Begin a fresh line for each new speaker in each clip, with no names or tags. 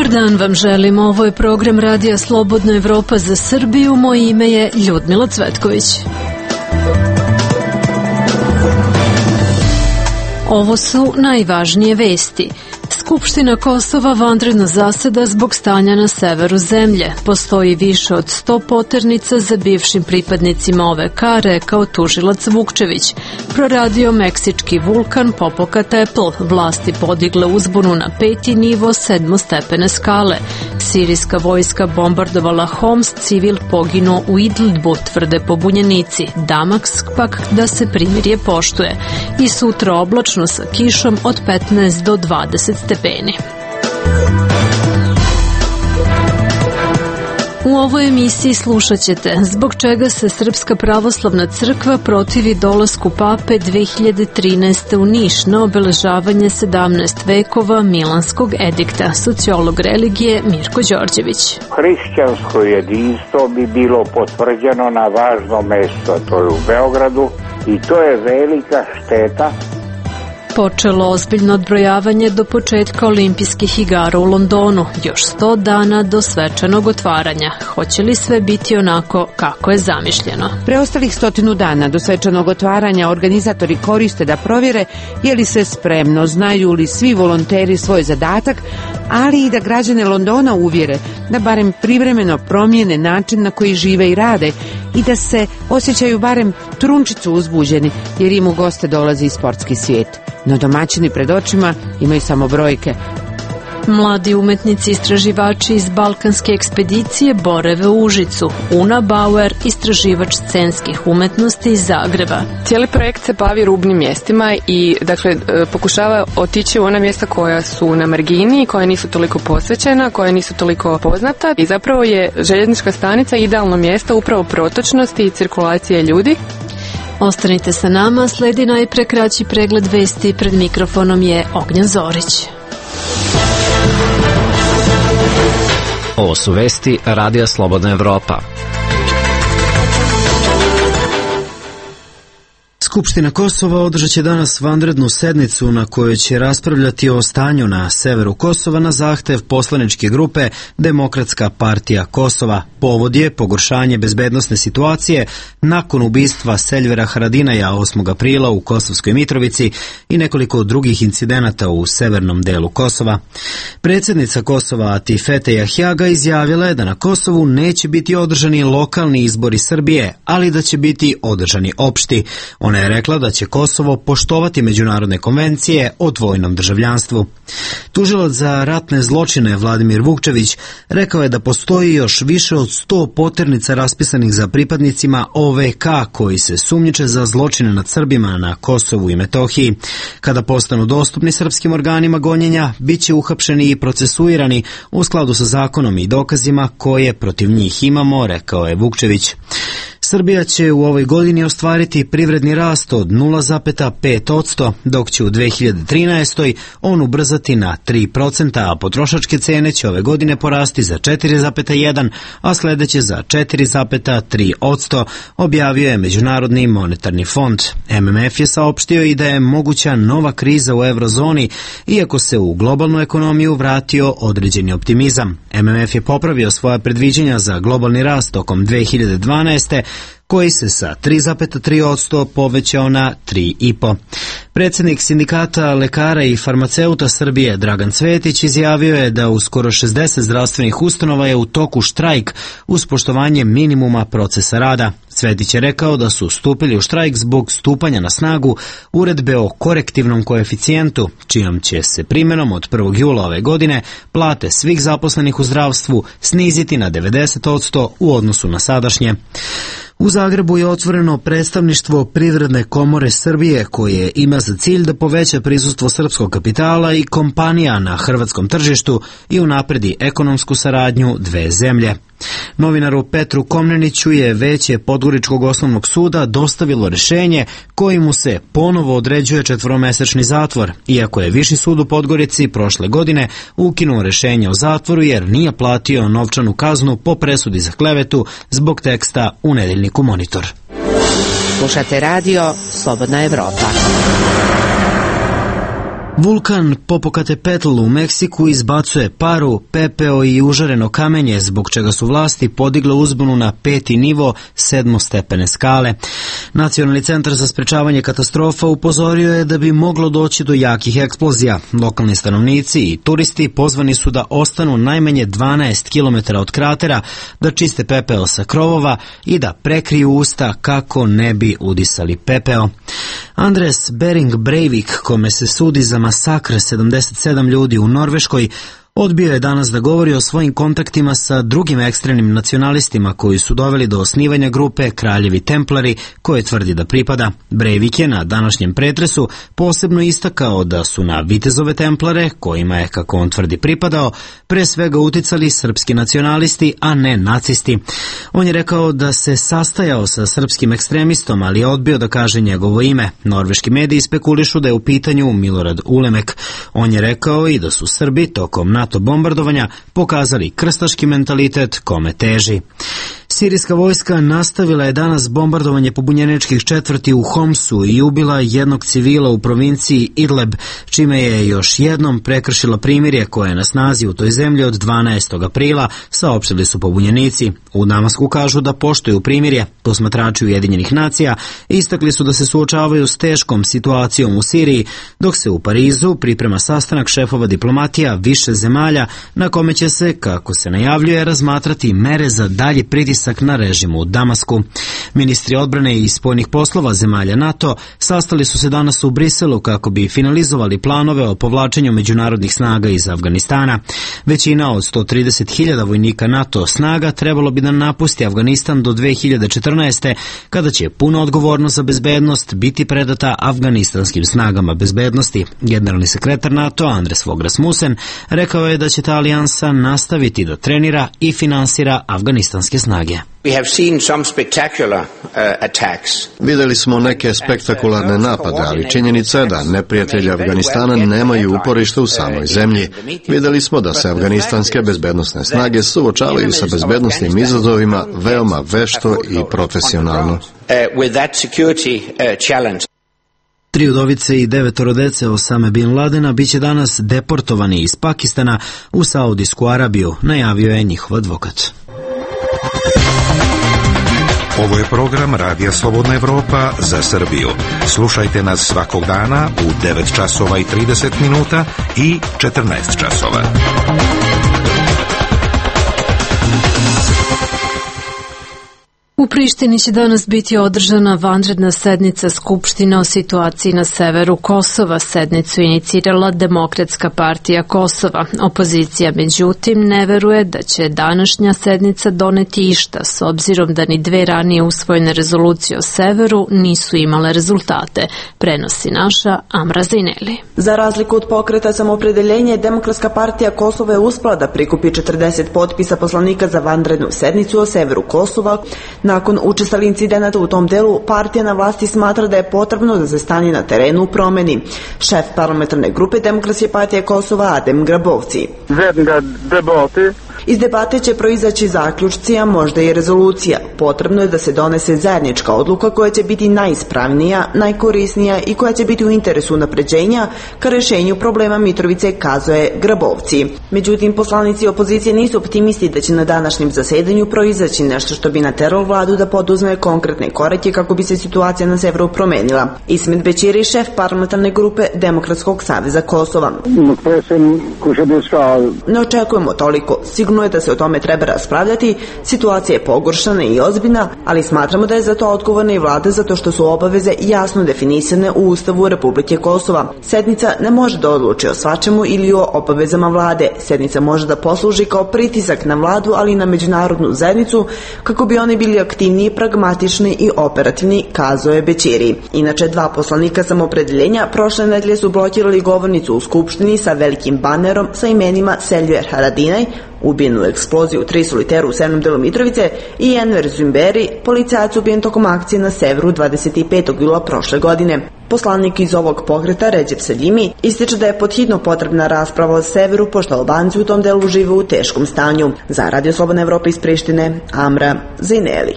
Dobar dan vam želim, ovo je program Radija Slobodna Evropa za Srbiju, moje ime je Ljudmila Cvetković. Ovo su najvažnije vesti. Skupština Kosova vanredno zaseda zbog stanja na severu zemlje. Postoji više od 100 poternica za bivšim pripadnicima OVK, rekao tužilac Vukčević. Proradio meksički vulkan Popocatépetl, vlasti podigle uzbunu na 5. nivo 7-stepene skale. Sirijska vojska bombardovala Homs, civil poginuo u Idlibu, tvrde pobunjenici. Damask pak da se primirje poštuje. I sutra oblačno sa kišom od 15 do 20 stepeni. U ovoj emisiji slušat ćete zbog čega se Srpska pravoslavna crkva protivi dolasku pape 2013. u Niš na obeležavanje 17 vekova Milanskog edikta, sociolog religije Mirko Đorđević.
Hrišćansko jedinstvo bi bilo potvrđeno na važno mesto, to je u Beogradu, i to je velika šteta.
Počelo ozbiljno odbrojavanje do početka olimpijskih igara u Londonu. Još 100 dana do svečanog otvaranja. Hoće li sve biti onako kako je zamišljeno?
Preostalih 100 dana do svečanog otvaranja organizatori koriste da provjere je li sve spremno, znaju li svi volonteri svoj zadatak, ali i da građane Londona uvjere da barem privremeno promijene način na koji žive i rade i da se osjećaju barem trunčicu uzbuđeni jer im u goste dolazi i sportski svijet. No domaćini pred očima imaju samo brojke.
Mladi umetnici istraživači iz Balkanske ekspedicije borave u Užicu. Una Bauer, istraživač scenskih umetnosti iz Zagreba.
Cijeli projekt se bavi rubnim mjestima i pokušava otići u ona mjesta koja su na margini, koja nisu toliko posvećena, koja nisu toliko poznata i zapravo je željeznička stanica idealno mjesto upravo protočnosti i cirkulacije ljudi.
Ostanite sa nama, sledi najpre kraći pregled vesti, pred mikrofonom je Ognjen Zorić.
Ovo su vesti Radija Slobodna Evropa. Skupština Kosova održat će danas vanrednu sednicu na kojoj će raspravljati o stanju na severu Kosova na zahtev poslaničke grupe Demokratska partija Kosova. Povod je pogoršanje bezbednosne situacije nakon ubistva Seljvera Haradinaja 8. aprila u Kosovskoj Mitrovici i nekoliko drugih incidenata u severnom delu Kosova. Predsjednica Kosova Atifete Jahjaga izjavila je da na Kosovu neće biti održani lokalni izbori Srbije, ali da će biti održani opšti. Ona je rekla da će Kosovo poštovati međunarodne konvencije o dvojnom državljanstvu. Tužilac za ratne zločine Vladimir Vukčević rekao je da postoji još više od 100 poternica raspisanih za pripadnicima OVK koji se sumnjiče za zločine nad Srbima na Kosovu i Metohiji. Kada postanu dostupni srpskim organima gonjenja, bit će uhapšeni i procesuirani u skladu sa zakonom i dokazima koje protiv njih imamo, rekao je Vukčević. Srbija će u ovoj godini ostvariti privredni rast od 0,5%, dok će u 2013. on ubrzati na 3%, a potrošačke cene će ove godine porasti za 4,1%, a sledeće za 4,3%, objavio je Međunarodni monetarni fond. MMF je saopštio i da je moguća nova kriza u eurozoni, iako se u globalnu ekonomiju vratio određeni optimizam. MMF je popravio svoja predviđanja za globalni rast tokom 2012. koji se sa 3,3% povećao na 3,5%. Predsjednik sindikata lekara i farmaceuta Srbije Dragan Cvetić izjavio je da u skoro 60 zdravstvenih ustanova je u toku štrajk uz poštovanje minimuma procesa rada. Cvetić je rekao da su stupili u štrajk zbog stupanja na snagu uredbe o korektivnom koeficijentu, čijom će se primjenom od 1. jula ove godine plate svih zaposlenih u zdravstvu sniziti na 90% u odnosu na sadašnje. U Zagrebu je otvoreno predstavništvo Privredne komore Srbije koje ima za cilj da poveća prisustvo srpskog kapitala i kompanija na hrvatskom tržištu i unapredi ekonomsku saradnju dve zemlje. Novinaru Petru Komneniću je Veće Podgoričkog osnovnog suda dostavilo rješenje kojim mu se ponovo određuje 4-mesečni zatvor, iako je Viši sud u Podgorici prošle godine ukinuo rješenje o zatvoru jer nije platio novčanu kaznu po presudi za klevetu zbog teksta u nedeljniku Monitor.
Slušate radio Slobodna Evropa.
Vulkan Popocatépetl u Meksiku izbacuje paru, pepeo i užareno kamenje, zbog čega su vlasti podigle uzbunu na 5. nivo 7-stepene skale. Nacionalni centar za sprečavanje katastrofa upozorio je da bi moglo doći do jakih eksplozija. Lokalni stanovnici i turisti pozvani su da ostanu najmanje 12 km od kratera, da čiste pepeo sa krovova i da prekriju usta kako ne bi udisali pepeo. Andres Behring Breivik, kome se sudi za masakr 77 ljudi u Norveškoj, odbio je danas da govori o svojim kontaktima sa drugim ekstremnim nacionalistima koji su doveli do osnivanja grupe Kraljevi Templari, koje tvrdi da pripada. Breivik je na današnjem pretresu posebno istakao da su na vitezove Templare, kojima je, kako on tvrdi, pripadao, pre svega uticali srpski nacionalisti, a ne nacisti. On je rekao da se sastajao sa srpskim ekstremistom, ali je odbio da kaže njegovo ime. Norveški mediji spekulišu da je u pitanju Milorad Ulemek. On je rekao i da su Srbi tokom NATO bombardovanja pokazali krstaški mentalitet kome teži. Sirijska vojska nastavila je danas bombardovanje pobunjeničkih četvrti u Homsu i ubila jednog civila u provinciji Idleb, čime je još jednom prekršila primirje koje je na snazi u toj zemlji od 12. aprila, saopštili su pobunjenici. U Damasku kažu da poštuju primirje. Posmatrači Ujedinjenih nacija istakli su da se suočavaju s teškom situacijom u Siriji, dok se u Parizu priprema sastanak šefova diplomatija više zemalja na kome će se, kako se najavljuje, razmatrati mere za dalji pritisak na režimu u Damasku. Ministri odbrane i spoljnih poslova zemalja NATO sastali su se danas u Briselu kako bi finalizovali planove o povlačenju međunarodnih snaga iz Afganistana. Većina od 130.000 vojnika NATO snaga trebalo bi da napusti Afganistan do 2014. kada će puna odgovornost za bezbednost biti predata afganistanskim snagama bezbednosti. Generalni sekretar NATO Anders Fogh Rasmussen rekao je da će ta alijansa nastaviti da trenira i finansira afganistanske snage.
Videli smo neke spektakularne napade, ali činjenica je da neprijatelji Afganistana nemaju uporište u samoj zemlji. Videli smo da se afganistanske bezbednosne snage suočavaju sa bezbednosnim izazovima veoma vešto i profesionalno.
3 udovice i 9 dece Osame Bin Ladena biće danas deportovani iz Pakistana u Saudijsku Arabiju, najavio je njihov advokat.
Ovo je program Radija Slobodna Evropa za Srbiju. Slušajte nas svakog dana u 9 časova i 30 minuta i 14 časova.
U Prištini će danas biti održana vanredna sednica Skupštine o situaciji na severu Kosova. Sednicu inicirala Demokratska partija Kosova. Opozicija, međutim, ne veruje da će današnja sednica doneti išta, s obzirom da ni 2 ranije usvojene rezolucije o severu nisu imale rezultate, prenosi naša Amra Zaineli.
Za razliku od pokreta Samoopredjeljenje, Demokratska partija Kosova je uspela da prikupi 40 potpisa poslanika za vanrednu sednicu o severu Kosova. Nakon učestalih incidenata u tom delu, partija na vlasti smatra da je potrebno da se stanje na terenu u promeni. Šef parlamentarne grupe Demokratske partije Kosova Adem Grabovci. Iz debate će proizaći zaključci, a možda i rezolucija. Potrebno je da se donese zajednička odluka koja će biti najispravnija, najkorisnija i koja će biti u interesu unapređenja ka rešenju problema Mitrovice, kazuje Grabovci. Međutim, poslanici opozicije nisu optimisti da će na današnjem zasedanju proizaći nešto što bi nateralo vladu da poduzme konkretne korake kako bi se situacija na severu promenila. Ismet Bećiri, šef parlamentarne grupe Demokratskog saveza Kosova. Ne očekujemo toliko. Sigurno je da se o tome treba raspravljati, situacija je pogoršana i ozbiljna, ali smatramo da je za to odgovorna i vlada zato što su obaveze jasno definisane u Ustavu Republike Kosova. Sednica ne može da odluči o svačemu ili o obavezama vlade. Sednica može da posluži kao pritisak na vladu, ali i na međunarodnu zajednicu kako bi oni bili aktivniji, pragmatični i operativni, kazuje Bećiri. Inače, 2 poslanika Samoopredjeljenja prošle nedelje su blokirali govornicu u Skupštini sa velikim banerom sa imenima Seljuer Haradinaj, ubijen u eksploziji u 3 soliteru u severnom delu Mitrovice, i Enver Zumberi, policajac ubijen tokom akcije na severu 25. jula prošle godine. Poslanik iz ovog pokreta, Recep Selimi, ističe da je podhitno potrebna rasprava o severu, pošto Albanci u tom delu žive u teškom stanju. Za Radio Slobodna Evropa iz Prištine, Amra Zaineli.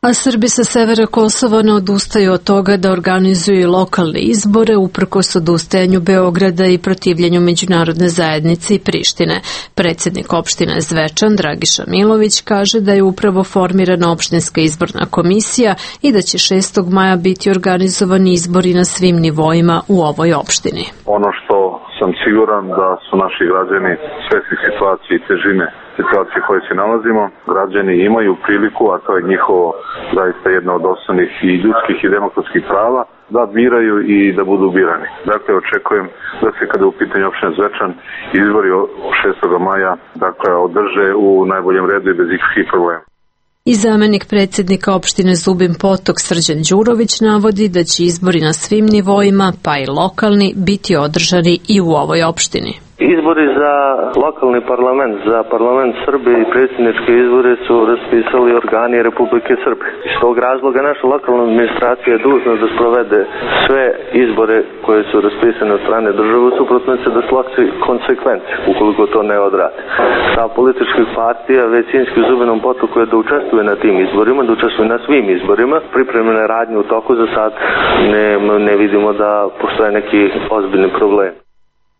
A Srbi sa severa Kosova ne odustaju od toga da organizuju lokalne izbore uprkos odustajanju Beograda i protivljenju međunarodne zajednice i Prištine. Predsjednik opštine Zvečan, Dragiša Milović, kaže da je upravo formirana opštinska izborna komisija i da će 6. maja biti organizovani izbori na svim nivoima u ovoj opštini.
Ono što sam siguran da su naši građani svesni situacije i težine situacije koje se nalazimo. Građani imaju priliku, a to je njihovo zaista jedno od osnovnih i ljudskih i demokratskih prava, da biraju i da budu birani. Dakle, očekujem da se kada u pitanju opštine Zvečan izbori 6. maja održe u najboljem redu i bez ikakvih problema.
I zamenik predsjednika opštine Zubin Potok Srđan Đurović navodi da će izbori na svim nivoima, pa i lokalni, biti održani i u ovoj opštini.
Izbori za lokalni parlament, za parlament Srbije i predsjedničke izbore su raspisali organi Republike Srbije. Iz tog razloga naša lokalna administracija je dužna da sprovede sve izbore koje su raspisane od strane države, suprotno će da sloči konsekvence ukoliko to ne odradi. Stav političkih partija većinski u Zubinom Potoku je da učestvuje na tim izborima, da učestvuje na svim izborima. Pripremljene radnje u toku za sad ne vidimo da postoje neki ozbiljni problem.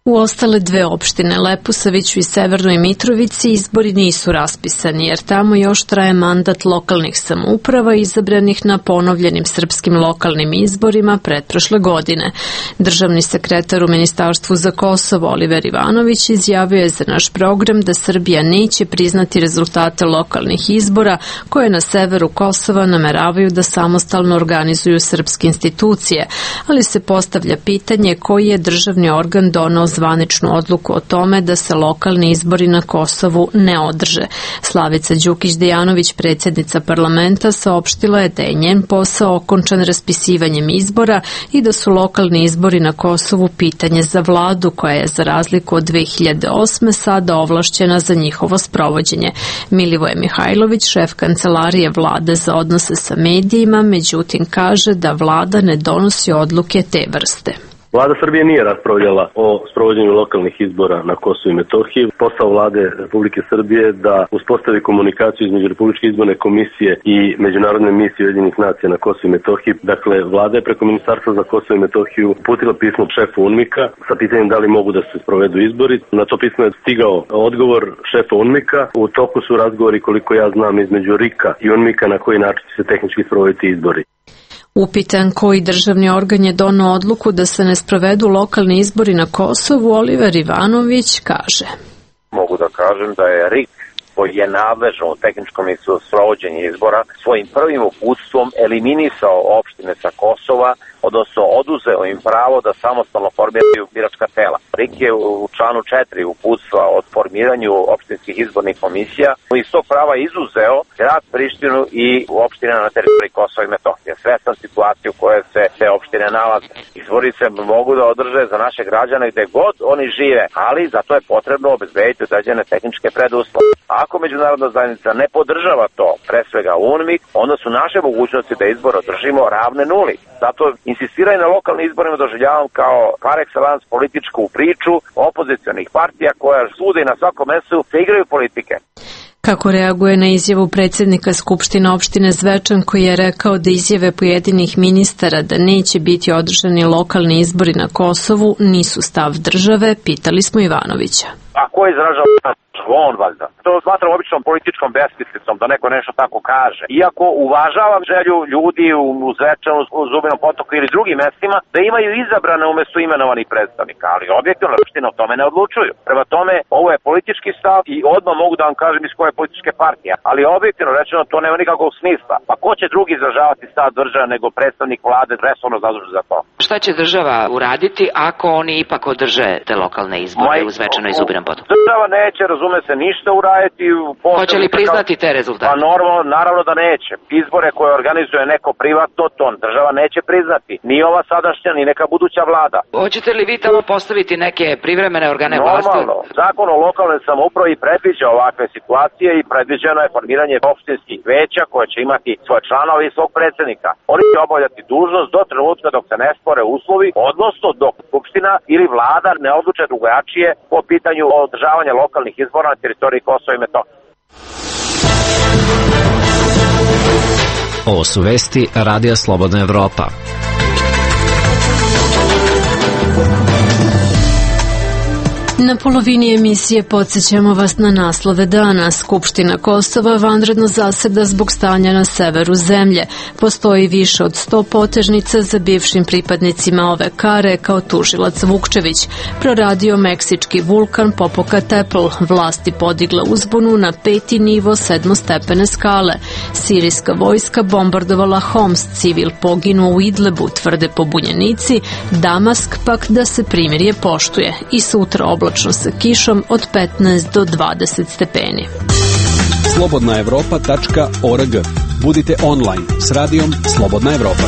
U ostale dve opštine, Leposaviću i Severnoj Mitrovici, izbori nisu raspisani, jer tamo još traje mandat lokalnih samouprava izabranih na ponovljenim srpskim lokalnim izborima pretprošle godine. Državni sekretar u Ministarstvu za Kosovo Oliver Ivanović izjavio je za naš program da Srbija neće priznati rezultate lokalnih izbora koje na severu Kosova nameravaju da samostalno organizuju srpske institucije, ali se postavlja pitanje koji je državni organ donao zvaničnu odluku o tome da se lokalni izbori na Kosovu ne održe. Slavica Đukić-Dejanović, predsjednica parlamenta, saopštila je da je njen posao okončan raspisivanjem izbora i da su lokalni izbori na Kosovu pitanje za vladu koja je za razliku od 2008. sada ovlašćena za njihovo sprovođenje. Milivoje Mihajlović, šef kancelarije vlade za odnose sa medijima, međutim kaže da vlada ne donosi odluke te vrste.
Vlada Srbije nije raspravljala o sprovođenju lokalnih izbora na Kosovu i Metohiji. Posao vlade Republike Srbije je da uspostavi komunikaciju između Republičke izborne komisije i Međunarodne misije Ujedinjenih nacija na Kosovu i Metohiji. Dakle, vlada je preko Ministarstva za Kosovo i Metohiju uputila pismo šefu UNMIK-a sa pitanjem da li mogu da se sprovedu izbori. Na to pismo je stigao odgovor šefa UNMIK-a. U toku su razgovori, koliko ja znam, između RIK-a i UNMIK-a na koji način će se tehnički sprovoditi izbori.
Upitan koji državni organ je donao odluku da se ne sprovedu lokalni izbori na Kosovu, Oliver Ivanović kaže.
Mogu da kažem da je RIK, koji je nadležan u tehničkom sprovođenju izbora, svojim prvim uputstvom eliminisao opštine sa Kosova, odnosno oduzeo im pravo da samostalno formiraju biračka tela. RIK je u članu 4 uputstva od formiranju opštinskih izbornih komisija iz tog prava izuzeo grad Prištinu i opštine na teritoriji Kosova i Metohije. Svestan situaciju u kojoj se te opštine nalaze. Izbori se mogu da održe za naše građane gde god oni žive, ali za to je potrebno obezbediti određene tehničke preduslove. Ako međunarodna zajednica ne podržava to, pre svega UNMIK, onda su naše mogućnosti da izbor održimo ravne nuli. Zato insistiranje na lokalnim izborima doživljavam kao par excellence političku priču opozicionih partija koja svuda i na svakom mestu se igraju politike.
Kako reaguje na izjavu predsjednika Skupštine opštine Zvečan koji je rekao da izjave pojedinih ministara da neće biti održani lokalni izbori na Kosovu nisu stav države, pitali smo Ivanovića.
A ko izražava on valjda? To smatram običnom političkom besmislicom da neko nešto tako kaže. Iako uvažavam želju ljudi u Zvečanu, u Zubinom Potoku ili drugim mestima da imaju izabrane umjesto imenovanih predstavnika, ali objektivno opštine o tome ne odlučuju. Prema tome, ovo je politički stav i odmah mogu da vam kažem iz koje političke partije, ali objektivno rečeno to nema nikakvog smisla. Pa ko će drugi izražavati stav države nego predstavnik vlade resorno zadužen za to?
Šta će država uraditi ako oni ipak održe te lokalne izbore u Zvečanu i Zubinom Potoku?
Država neće, razume se, ništa uraditi.
Hoće li priznati te rezultate?
Pa naravno da neće. Izbore koje organizuje neko privatno, to država neće priznati. Ni ova sadašnja, ni neka buduća vlada.
Hoćete li vi tamo postaviti neke privremene organe vlasti?
Normalno. Zakon o lokalnoj samoupravi predviđa ovakve situacije i predviđeno je formiranje opštinskih veća koje će imati svoje članove i svog predsjednika. Oni će obavljati dužnost do trenutka dok se ne spore uslovi, odnosno dok Skupština ili vlada ne odluče drugačije po pitanju održavanja lokalnih izbora na teritoriji Kosova i Metohije.
Ovo su vesti Radija Slobodna Evropa.
Na polovini emisije podsjećamo vas na naslove dana. Skupština Kosova vanredno zaseda zbog stanja na severu zemlje. Postoji više od 100 potežnica za bivšim pripadnicima OVK, rekao tužilac Vukčević. Proradio meksički vulkan Popocatépetl. Vlasti podigle uzbunu na 5. nivo 7-stepene skale. Sirijska vojska bombardovala Homs, civil poginuo u Idlebu, tvrde pobunjenici. Damask pak da se primirje poštuje. I sutra oblačno sa kišom od 15 do 20 stepeni.
Slobodnaevropa.org. Budite online s radijom Slobodna Evropa.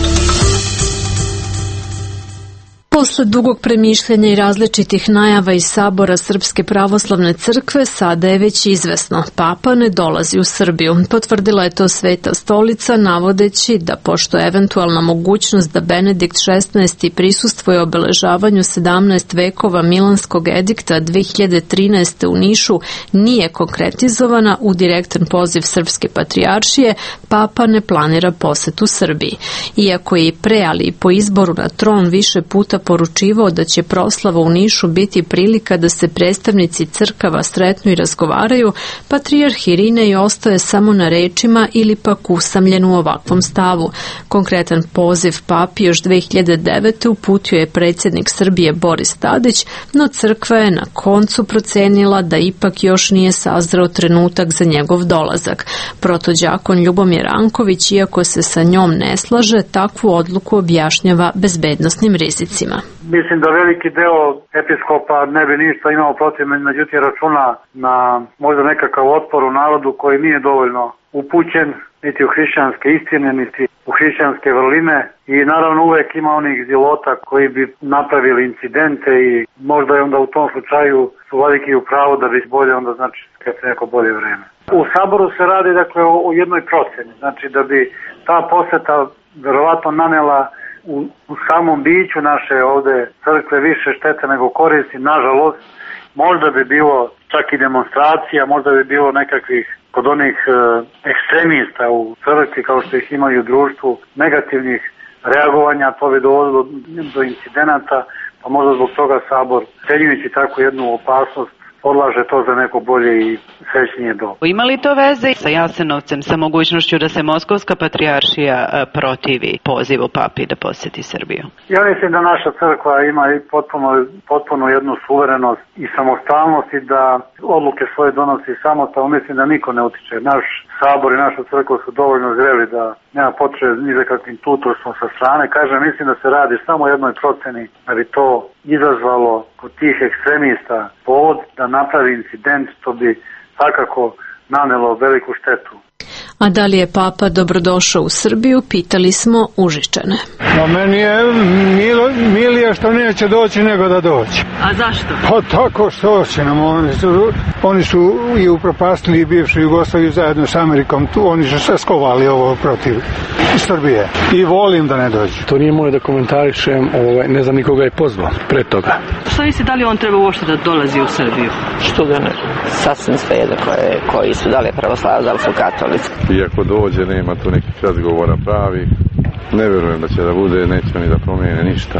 Posle dugog premišljanja i različitih najava iz Sabora Srpske pravoslavne crkve, sada je već izvesno. Papa ne dolazi u Srbiju. Potvrdila je to Sveta stolica, navodeći da pošto je eventualna mogućnost da Benedikt XVI prisustvuje obeležavanju 17 vekova Milanskog edikta 2013. u Nišu nije konkretizovana u direktan poziv Srpske patrijaršije, Papa ne planira posetu Srbiji. Iako je i pre, ali i po izboru na tron više puta poručivao da će proslava u Nišu biti prilika da se predstavnici crkava sretnu i razgovaraju, patrijarh Irinej ostaje samo na rečima ili pak usamljen u ovakvom stavu. Konkretan poziv papi još 2009. uputio je predsjednik Srbije Boris Tadić, no crkva je na koncu procenila da ipak još nije sazreo trenutak za njegov dolazak. Protođakon Ljubomir Anković, iako se sa njom ne slaže, takvu odluku objašnjava bezbednosnim rizicima.
Mislim da veliki deo episkopa ne bi ništa imao protiv, međutim računa na možda nekakav otpor u narodu koji nije dovoljno upućen niti u hrišćanske istine, niti u hrišćanske vrline i naravno uvek ima onih zilota koji bi napravili incidente i možda je onda u tom slučaju su veliki u pravu da bi bolje onda znači skreće neko bolje vreme. U Saboru se radi dakle o jednoj proceni, znači da bi ta poseta verovatno nanela u samom biću naše ovde crkve više štete nego koristi, nažalost. Možda bi bilo čak i demonstracija, možda bi bilo nekakvih kod onih ekstremista u crkvi kao što ih imaju u društvu, negativnih reagovanja, to bi dovodilo do incidenata, pa možda zbog toga Sabor, cenjujući takvu jednu opasnost, odlaže to za neko bolje i srećnije doba.
Ima li to veze sa Jasenovcem, sa mogućnošću da se Moskovska patrijaršija protivi pozivu papi da posjeti Srbiju?
Ja mislim da naša crkva ima i potpuno jednu suverenost i samostalnost i da odluke svoje donosi samostalno. Mislim da niko ne utiče. Naš Sabor i naša crkva su dovoljno zreli da nema potrebe ni za kakvim tutorstvom sa strane. Kažem, mislim da se radi samo o jednoj proceni da bi to izazvalo kod tih ekstremista povod da napravi incident, to bi svakako nanelo veliku štetu.
A da li je Papa dobrodošao u Srbiju, pitali smo Užičane.
Meni je milije što neće doći nego da doći.
A zašto?
Pa tako što će nam. Oni su i upropastili bivšu Jugoslaviju zajedno s Amerikom. Oni su sve skovali ovo protiv Srbije. I volim da ne dođe.
To nije moje da komentarišem, ne znam nikoga je pozvao pre toga.
Šta misli, da li on treba uopšte da dolazi u Srbiju?
Što ga ne?
Sasvim svejedno koji su, da li je pravoslavac, da li su katolici.
Iako dođe, nema tu nekih razgovora pravi. Ne verujem da će da bude, neće ni da promijene ništa.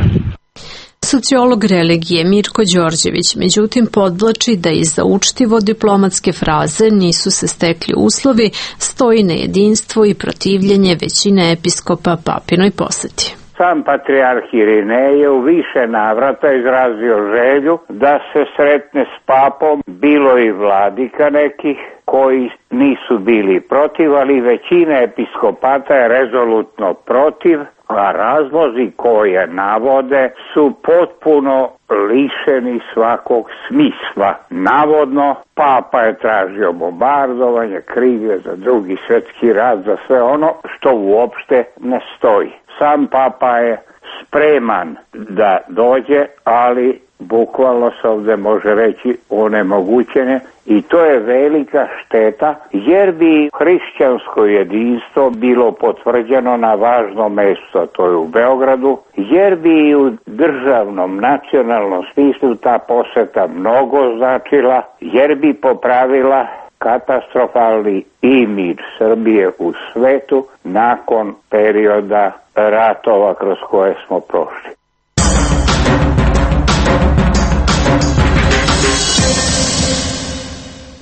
Sociolog religije Mirko Đorđević međutim podvlači da iza učtivo diplomatske fraze nisu se stekli uslovi, stoji nejedinstvo i protivljenje većine episkopa papinoj poseti.
Sam patrijarh Irinej je u više navrata izrazio želju da se sretne s papom, bilo i vladika nekih koji nisu bili protiv, ali većina episkopata je rezolutno protiv, a razlozi koje navode su potpuno lišeni svakog smisla. Navodno, papa je tražio bombardovanje, krige za Drugi svjetski rat, za sve ono što uopšte ne stoji. Sam papa je spreman da dođe, ali bukvalno se ovdje može reći onemogućene i to je velika šteta jer bi hrišćansko jedinstvo bilo potvrđeno na važno mjesto, to je u Beogradu, jer bi i u državnom, nacionalnom smislu ta poseta mnogo značila, jer bi popravila katastrofalni imidž Srbije u svetu nakon perioda ratova kroz koje smo prošli.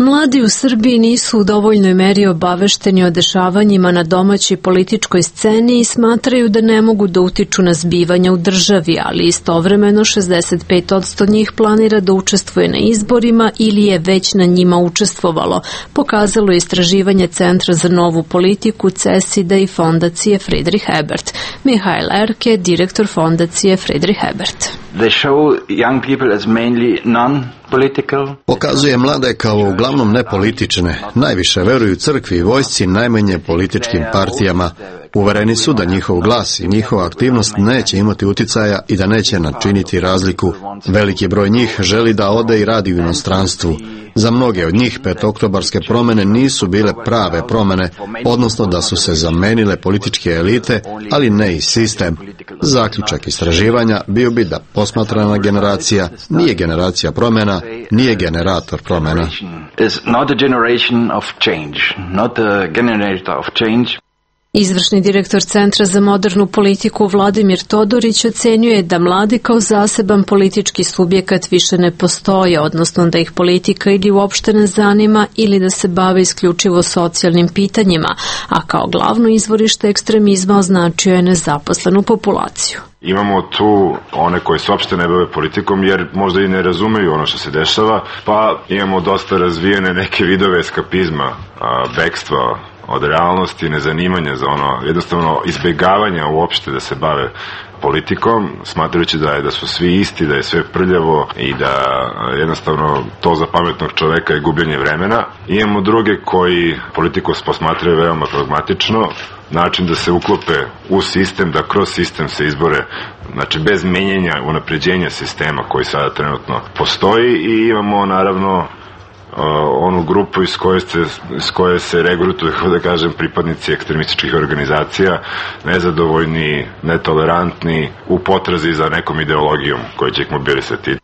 Mladi u Srbiji nisu u dovoljnoj meri obavešteni o dešavanjima na domaćoj političkoj sceni i smatraju da ne mogu da utiču na zbivanja u državi, ali istovremeno 65% njih planira da učestvuje na izborima ili je već na njima učestvovalo, pokazalo je istraživanje Centra za novu politiku CESID-a i fondacije Friedrich Ebert. Mihail Erke, direktor fondacije Friedrich Ebert.
They show young people as mainly non-political.
Pokazuje mlade kao uglavnom nepolitične, najviše veruju crkvi i vojsci, najmanje političkim partijama. Uvereni su da njihov glas i njihova aktivnost neće imati uticaja i da neće načiniti razliku. Veliki broj njih želi da ode i radi u inostranstvu. Za mnoge od njih petooktobarske promene nisu bile prave promene, odnosno da su se zamenile političke elite, ali ne i sistem. Zaključak istraživanja bio bi da posmatrana generacija nije generacija promjena, nije generator promjena.
Izvršni direktor Centra za modernu politiku Vladimir Todorić ocenjuje da mladi kao zaseban politički subjekat više ne postoje, odnosno da ih politika ili uopšte ne zanima ili da se bave isključivo socijalnim pitanjima, a kao glavno izvorište ekstremizma označio je nezaposlenu populaciju.
Imamo tu one koji se uopšte ne bave politikom jer možda i ne razumeju ono što se dešava, pa imamo dosta razvijene neke vidove eskapizma, bekstva od realnosti, nezanimanja za ono, jednostavno izbjegavanja uopšte da se bave politikom, smatrajući da su svi isti, da je sve prljavo i da jednostavno to za pametnog čoveka je gubljenje vremena. Imamo druge koji politiku posmatraju veoma pragmatično, način da se uklope u sistem, da kroz sistem se izbore, znači bez menjenja, unapređenja sistema koji sada trenutno postoji, i imamo naravno onu grupu iz koje se regrutuju, da kažem, pripadnici ekstremističkih organizacija, nezadovoljni, netolerantni, u potrazi za nekom ideologijom koja će ih mobilisati.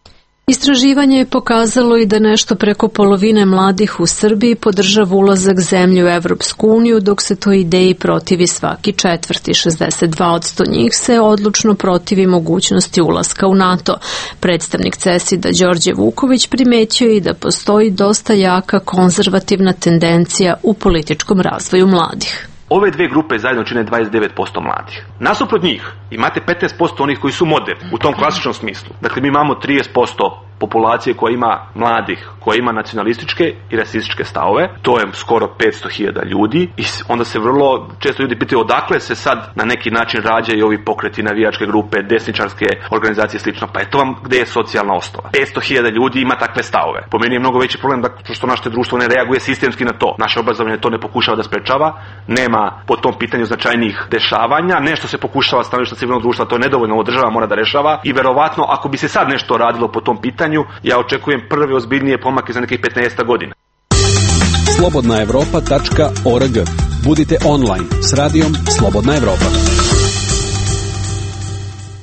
Istraživanje je pokazalo i da nešto preko polovine mladih u Srbiji podržava ulazak zemlje u Evropsku uniju, dok se toj ideji protivi svaki četvrti. 62% njih se odlučno protivi mogućnosti ulaska u NATO. Predstavnik CESID-a Đorđe Vuković primetio i da postoji dosta jaka konzervativna tendencija u političkom razvoju mladih.
Ove dve grupe zajedno čine 29% mladih. Nasuprot njih imate 15% onih koji su moderni u tom klasičnom smislu. Dakle, mi imamo 30% populacije koja ima mladih, koja ima nacionalističke i rasističke stavove. To je skoro 500.000 ljudi i onda se vrlo često ljudi pitaju odakle se sad na neki način rađaju ovi pokreti, navijačke grupe, desničarske organizacije i slično. Pa eto vam gde je socijalna osnova. 500.000 ljudi ima takve stavove. Po meni je mnogo veći problem što naše društvo ne reaguje sistemski na to. Naše obrazovanje to ne pokušava da sprečava, nema po tom pitanju značajnih dešavanja, nešto se pokušava stanovišta civilnog društva, to je nedovoljno, ovo država mora da rešava i verovatno ako bi se sad nešto radilo po tom pitanju, ja očekujem prve ozbiljnije pomake za nekih 15 godina.
Slobodnaevropa.org. Budite online s radijom Slobodna Evropa.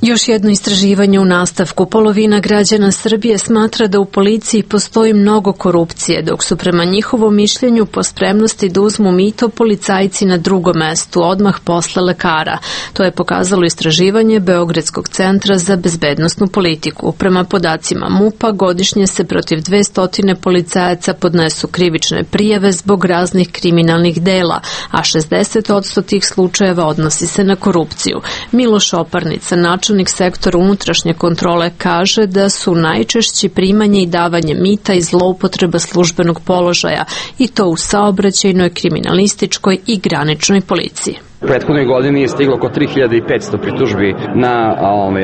Još jedno istraživanje u nastavku. Polovina građana Srbije smatra da u policiji postoji mnogo korupcije, dok su prema njihovom mišljenju po spremnosti da uzmu mito policajci na drugom mestu, odmah posle lekara. To je pokazalo istraživanje Beogradskog centra za bezbednosnu politiku. Prema podacima MUP-a godišnje se protiv 200 policajaca podnesu krivične prijave zbog raznih kriminalnih dela, a 60% tih slučajeva odnosi se na korupciju. Miloš Oparnica, načelnik sektora unutrašnje kontrole, kaže da su najčešći primanje i davanje mita i zloupotreba službenog položaja, i to u saobraćajnoj, kriminalističkoj i graničnoj policiji.
U prethodnoj godini je stiglo oko 3500 pritužbi na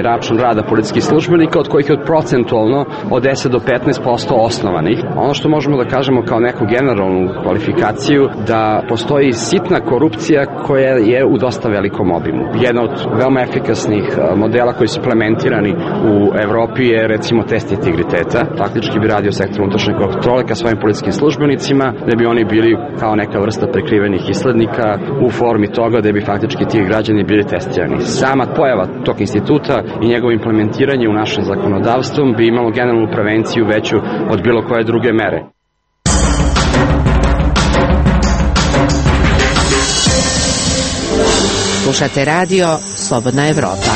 račun rada policijskih službenika, od kojih je procentualno od 10 do 15% osnovanih. Ono što možemo da kažemo kao neku generalnu kvalifikaciju, da postoji sitna korupcija koja je u dosta velikom obimu. Jedna od veoma efikasnih modela koji su implementirani u Evropi je recimo test integriteta. Faktički bi radio sektor unutrašnje kontrole ka svojim policijskim službenicima, da bi oni bili kao neka vrsta prikrivenih islednika u formi toga da bi faktički ti građani bili testirani. Sama pojava tog instituta i njegovo implementiranje u našem zakonodavstvu bi imalo generalnu prevenciju veću od bilo koje druge mere.
Slušate radio Slobodna Evropa.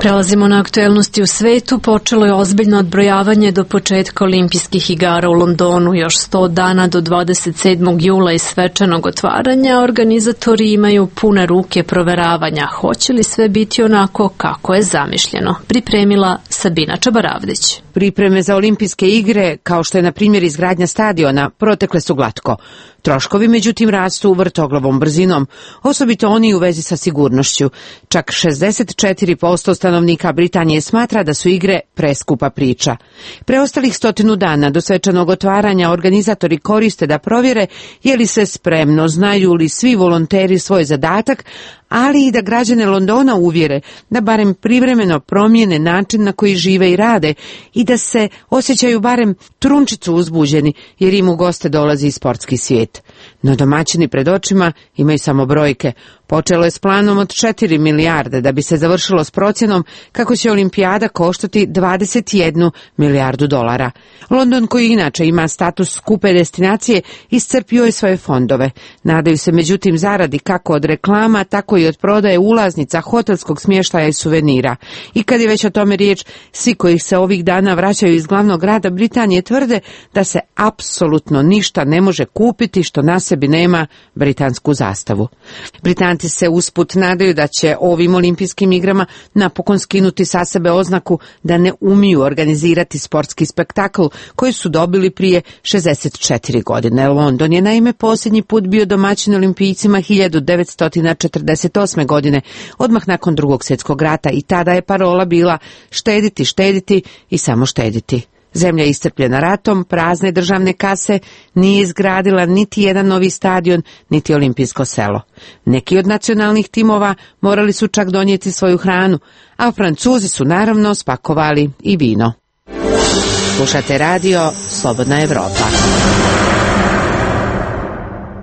Prelazimo na aktuelnosti u svetu. Počelo je ozbiljno odbrojavanje do početka olimpijskih igara u Londonu. Još 100 dana do 27. jula i svečanog otvaranja. Organizatori imaju pune ruke proveravanja. Hoće li sve biti onako kako je zamišljeno? Pripremila Sabina Čabaravdić.
Pripreme za olimpijske igre, kao što je na primjer izgradnja stadiona, protekle su glatko. Troškovi, međutim, rastu vrtoglavom brzinom, osobito oni u vezi sa sigurnošću. Čak 64% stanovnika Britanije smatra da su igre preskupa priča. Preostalih 100 dana do svečanog otvaranja organizatori koriste da provjere je li se spremno, znaju li svi volonteri svoj zadatak, ali i da građane Londona uvjere da barem privremeno promijene način na koji žive i rade i da se osjećaju barem trunčicu uzbuđeni jer im u goste dolazi i sportski svijet. No domaćini pred očima imaju samo brojke. Počelo je s planom od 4 milijarde da bi se završilo s procjenom kako će olimpijada koštati 21 milijardu dolara. London, koji inače ima status skupe destinacije, iscrpio je svoje fondove. Nadaju se međutim zaradi kako od reklama, tako i od prodaje ulaznica, hotelskog smještaja i suvenira. I kad je već o tome riječ, svi koji se ovih dana vraćaju iz glavnog grada Britanije tvrde da se apsolutno ništa ne može kupiti što na sebi nema britansku zastavu. Britanci se usput nadaju da će ovim olimpijskim igrama napokon skinuti sa sebe oznaku da ne umiju organizirati sportski spektakl koji su dobili prije 64 godine. London je naime posljednji put bio domaćin olimpijcima 1948. godine, odmah nakon Drugog svjetskog rata, i tada je parola bila štediti, štediti i samo štediti. Zemlja je iscrpljena ratom, prazne državne kase, nije izgradila niti jedan novi stadion, niti olimpijsko selo. Neki od nacionalnih timova morali su čak donijeti svoju hranu, a Francuzi su naravno spakovali i vino. Slušate radio Slobodna Evropa.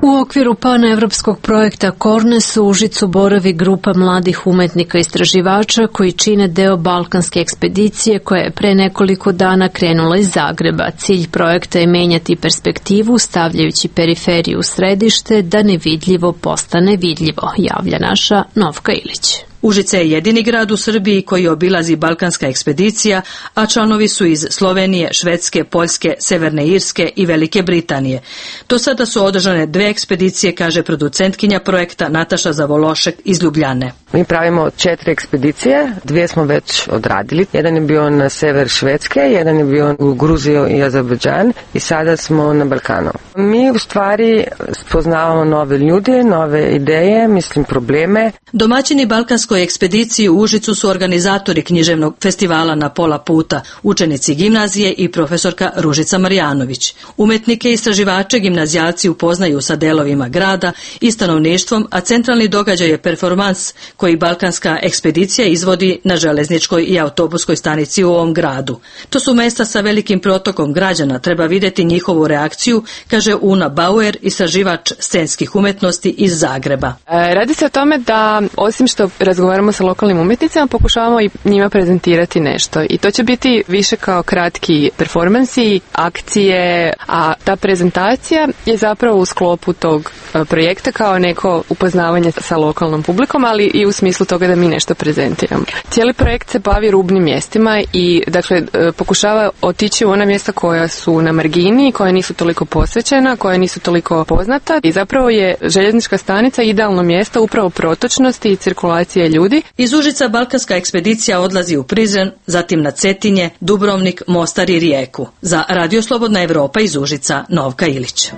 U okviru panevropskog projekta Kornes u Užicu boravi grupa mladih umetnika istraživača koji čine deo balkanske ekspedicije koja je pre nekoliko dana krenula iz Zagreba. Cilj projekta je menjati perspektivu stavljajući periferiju u središte da nevidljivo postane vidljivo, javlja naša Novka Ilić.
Užice je jedini grad u Srbiji koji obilazi balkanska ekspedicija, a članovi su iz Slovenije, Švedske, Poljske, Severne Irske i Velike Britanije. Do sada su održane 2 ekspedicije, kaže producentkinja projekta Nataša Zavološek iz Ljubljane.
Mi pravimo 4 ekspedicije, 2 smo već odradili. Jedan je bio na sever Švedske, jedan je bio u Gruziju i Azerbejdžan i sada smo na Balkanu. Mi u stvari spoznavamo nove ljude, nove ideje, probleme.
Domaćini balkanskoj ekspediciji u Užicu su organizatori književnog festivala Na pola puta, učenici gimnazije i profesorka Ružica Marjanović. Umetnike i istraživače gimnazijalci upoznaju sa delovima grada i stanovništvom, a centralni događaj je performans koji balkanska ekspedicija izvodi na železničkoj i autobuskoj stanici u ovom gradu. To su mesta sa velikim protokom građana, treba vidjeti njihovu reakciju, kaže Una Bauer, istraživač scenskih umetnosti iz Zagreba.
Radi se o tome da osim što razgovaramo sa lokalnim umjetnicama, pokušavamo i njima prezentirati nešto. I to će biti više kao kratki performansi, akcije, a ta prezentacija je zapravo u sklopu tog projekta kao neko upoznavanje sa lokalnom publikom, ali i u smislu toga da mi nešto prezentiramo. Cijeli projekt se bavi rubnim mjestima i dakle pokušava otići u ona mjesta koja su na margini, koja nisu toliko posvećena, koja nisu toliko poznata i zapravo je željeznička stanica idealno mjesto upravo protočnosti i cirkulacije ljudi.
Iz Užica balkanska ekspedicija odlazi u Prizren, zatim na Cetinje, Dubrovnik, Mostar i Rijeku. Za Radio Slobodna Evropa iz Užica, Novka Ilić.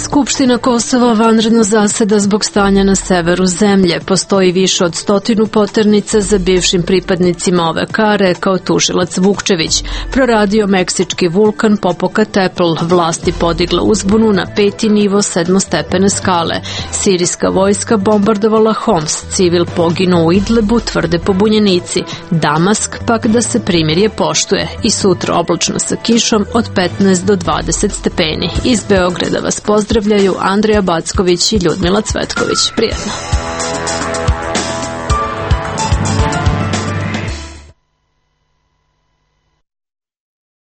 Skupština Kosova vanredno zaseda zbog stanja na severu zemlje. Postoji više od 100 poternica za bivšim pripadnicima OVK, rekao tužilac Vukčević. Proradio meksički vulkan Popocatépetl, vlasti podigla uzbunu na 5. nivo 7-stepene skale. Sirijska vojska bombardovala Homs, civil poginuo u Idlebu, tvrde pobunjenici. Damask pak da se primirje poštuje i sutra oblačno sa kišom od 15 do 20 stepeni. Iz Beograda vas pozdravljaju Andrija Backović i Ljudmila Cvetković. Prijetno.